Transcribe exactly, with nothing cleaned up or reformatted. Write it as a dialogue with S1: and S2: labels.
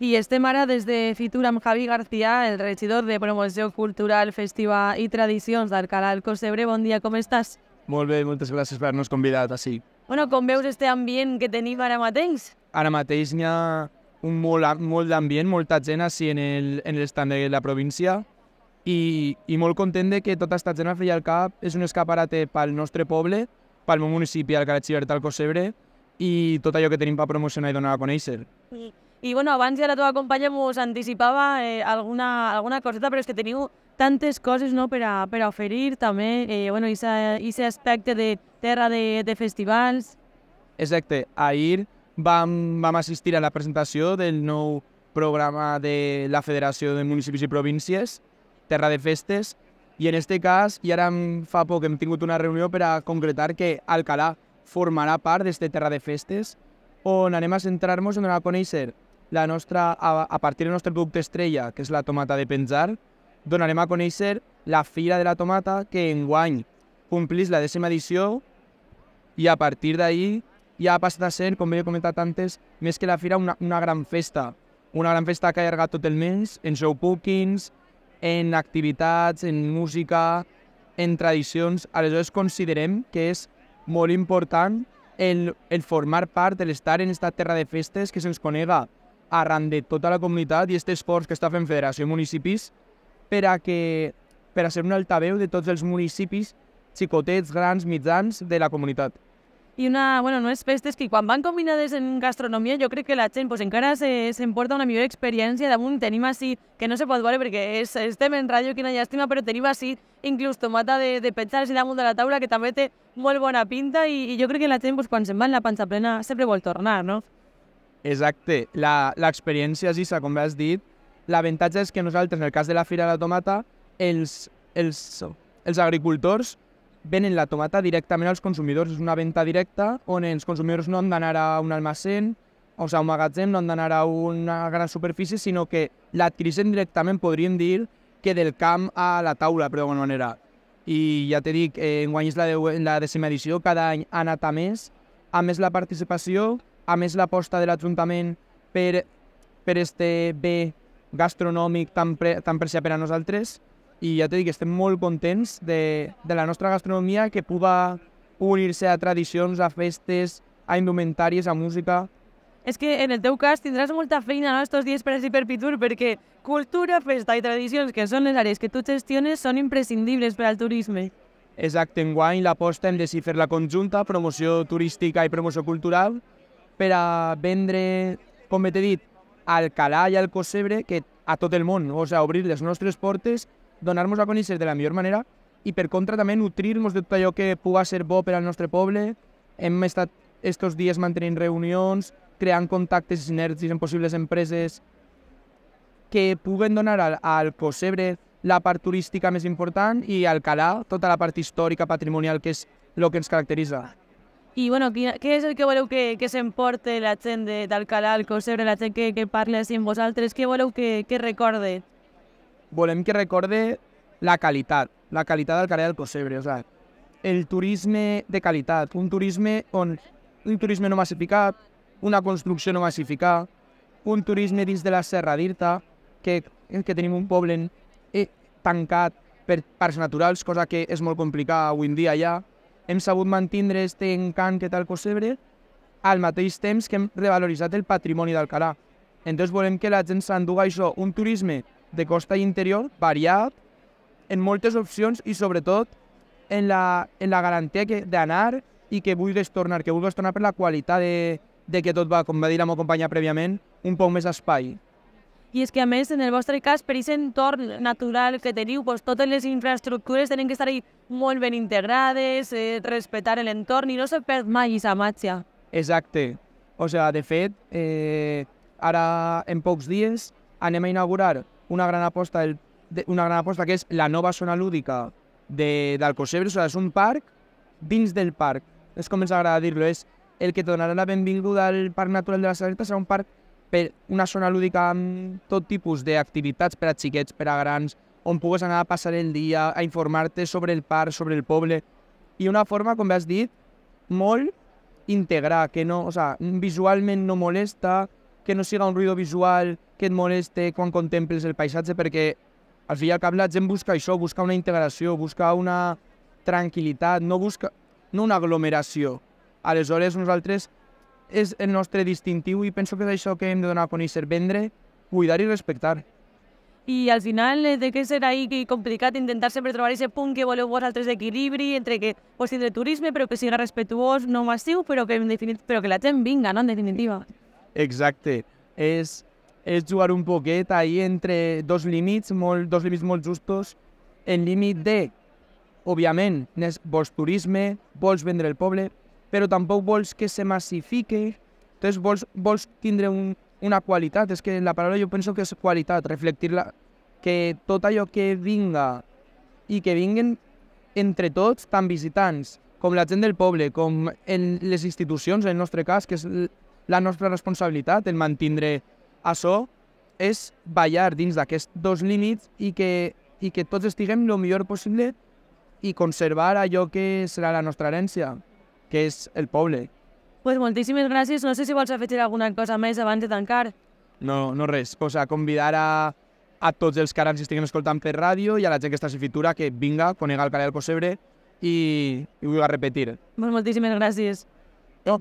S1: I estem ara des de Fitur amb Javi García, el regidor de Promoció Cultural, Festiva i Tradicions d'Alcalà del Cosebre. Bon dia, com estàs?
S2: Molt bé, moltes gràcies per haver-nos convidat així.
S1: Bueno, com veus este ambient que tenim ara mateix?
S2: Ara mateix n'hi ha un molt, molt d'ambient, molta gent així en el, en l'estat de la província i, i molt content de que tota aquesta gent al fi i al cap és un escaparate pel nostre poble, pel meu municipi, Alcalà Xivert, al Cosebre, i tot allò que tenim per promocionar i donar a conèixer.
S1: I, i bueno, abans ja la teva companya mos anticipava eh, alguna, alguna coseta, però és que teniu tantes coses, no, per a, per a oferir també, eh, bueno, i aquest aspecte de terra de, de festivals.
S2: Exacte, ahir vam, vam assistir a la presentació del nou programa de la Federació de Municipis i Províncies, Terra de Festes, i en este cas, i ara fa poc hem tingut una reunió per a concretar que Alcalà formarà part d'este Terra de Festes, on anem a centrar-nos en donar a conèixer la nostra, a, a partir del nostre producte estrella, que és la tomata de penjar, donarem a conèixer la Fira de la Tomata, que enguany complís la dècima edició, i a partir d'ahir ja ha passat a ser, com he comentat antes, més que la fira, una, una gran festa. Una gran festa que ha allargat tot el mes, en showbookings, en activitats, en música, en tradicions. Aleshores considerem que és molt important el, el formar part, el estar en aquesta terra de festes que se'ns conega arran de tota la comunitat i aquest esforç que està fent Federació de Municipis per a, que, per a ser un altaveu de tots els municipis xicotets, grans, mitjans de la comunitat.
S1: I una, bueno, unes festes que quan van combinades en gastronomia jo crec que la gent pues, encara s'emporta una millor experiència. Damunt tenim així, que no se pot veure perquè és, estem en ràdio, quina llàstima, però tenim així inclús tomata de, de penjar així damunt de la taula que també té molt bona pinta i, i jo crec que la gent pues, quan se'n va en la panxa plena sempre vol tornar, no?
S2: Exacte, l'experiència és això, com has dit. L'avantatge és que nosaltres, en el cas de la Fira de la Tomata, els, els, els agricultors venen la tomata directament als consumidors. És una venda directa on els consumidors no han d'anar a un almacén, o sigui, a un magatzem, no han d'anar a una gran superfície, sinó que l'adquireixen directament, podríem dir, que del camp a la taula, però d'alguna manera. I ja t'he dit, eh, enguany és la, de, la decima edició, cada any ha anat a més, a més la participació, a més l'aposta de l'Ajuntament per, per este bé gastronòmic tan, pre, tan preciat per a nosaltres. I ja t'he dit que estem molt contents de, de la nostra gastronomia, que puga unir-se a tradicions, a festes, a indumentàries, a música.
S1: És que en el teu cas tindràs molta feina no, estos dies per així per Fitur, perquè cultura, festa i tradicions, que són les àrees que tu gestiones, són imprescindibles per al turisme.
S2: Exacte, enguany l'aposta hem decidit fer la conjunta, promoció turística i promoció cultural, per a vendre, com t'he dit, a Alcalà i al Cosebre, que a tot el món, o sigui, obrir les nostres portes, donar-nos a conèixer de la millor manera i per contra també nutrir-nos de tot allò que puga ser bo per al nostre poble. Hem estat estos dies mantenint reunions, creant contactes i sinergies amb possibles empreses que puguen donar al, al Cosebre la part turística més important i a Alcalà tota la part històrica, patrimonial, que és el que ens caracteritza.
S1: I bueno, què és el que voleu que, que s'emporte la gent d'Alcalà, al Cosebre, la gent que, que parli així amb vosaltres? Què voleu que, que recorde?
S2: Volem que recorde la qualitat, la qualitat d'Alcalà del Cosebre, o sigui, el turisme de qualitat, un turisme on un turisme no massificat, una construcció no massificada, un turisme dins de la Serra d'Irta, que, que tenim un poble eh, tancat per parcs naturals, cosa que és molt complicada avui en dia ja. Hem sabut mantenir aquest encant que té el Cosebre al mateix temps que hem revaloritzat el patrimoni d'Alcalà. Entonces volem que la gent s'enduga això, un turisme de costa i interior, variat, en moltes opcions i sobretot en la, en la garantia d'anar i que vulguis tornar, que vulguis tornar per la qualitat de, de que tot va, com va dir la meva companya prèviament, un poc més espai.
S1: I és que a més, en el vostre cas, per aquest entorn natural que teniu, doncs, totes les infraestructures tenen que estar molt ben integrades, eh, respectar l'entorn i no se perd mai aquesta màgia.
S2: Exacte. O sigui, de fet, eh, ara en pocs dies anem a inaugurar una gran aposta, del, de, una gran aposta que és la nova zona lúdica de, del Cosebre. O sigui, és un parc dins del parc. És com ens agrada dir-lo, és el que donarà la benvinguda al Parc Natural de la Salerta, serà un parc per una zona lúdica amb tot tipus d'activitats per a xiquets, per a grans, on pugues anar a passar el dia, a informar-te sobre el parc, sobre el poble, i una forma, com has dit, molt integrar, que no, o sigui, visualment no molesta, que no siga un ruïdo visual que et moleste quan contemples el paisatge, perquè al fi i al cap la gent busca això, busca una integració, busca una tranquil·litat, no busca no una aglomeració. Aleshores, nosaltres és el nostre distintiu i penso que és això que hem de donar a conèixer, vendre, cuidar i respectar.
S1: I al final, eh, de què serà ahí que complicat intentar sempre trobar aquest punt que voleu vosaltres d'equilibri entre que pues, tindre turisme però que siga respectuós, no massiu, però que, en definit, però que la gent vinga, no? En definitiva.
S2: Exacte. És, és jugar un poquet ahí entre dos límits, molt, dos límits molt justos, el límit de, òbviament, vols turisme, vols vendre el poble, però tampoc vols que se massifique, entonces vols, vols tindre un, una qualitat, és que la paraula jo penso que és qualitat, reflectir-la, que tot allò que vinga i que vinguen entre tots, tant visitants, com la gent del poble, com en les institucions, en el nostre cas, que és la nostra responsabilitat, el mantindre això, és ballar dins d'aquests dos límits i que, i que tots estiguem el millor possible i conservar allò que serà la nostra herència, que és el poble.
S1: Pues moltíssimes gràcies. No sé si vols afegir alguna cosa més abans de tancar.
S2: No, no res. O sea, convidar a, a tots els que ara ens estiguen escoltant per ràdio i a la gent que està a Fitura que vinga, conega el Calé del Possebre i, i vull repetir.
S1: Pues moltíssimes gràcies. No,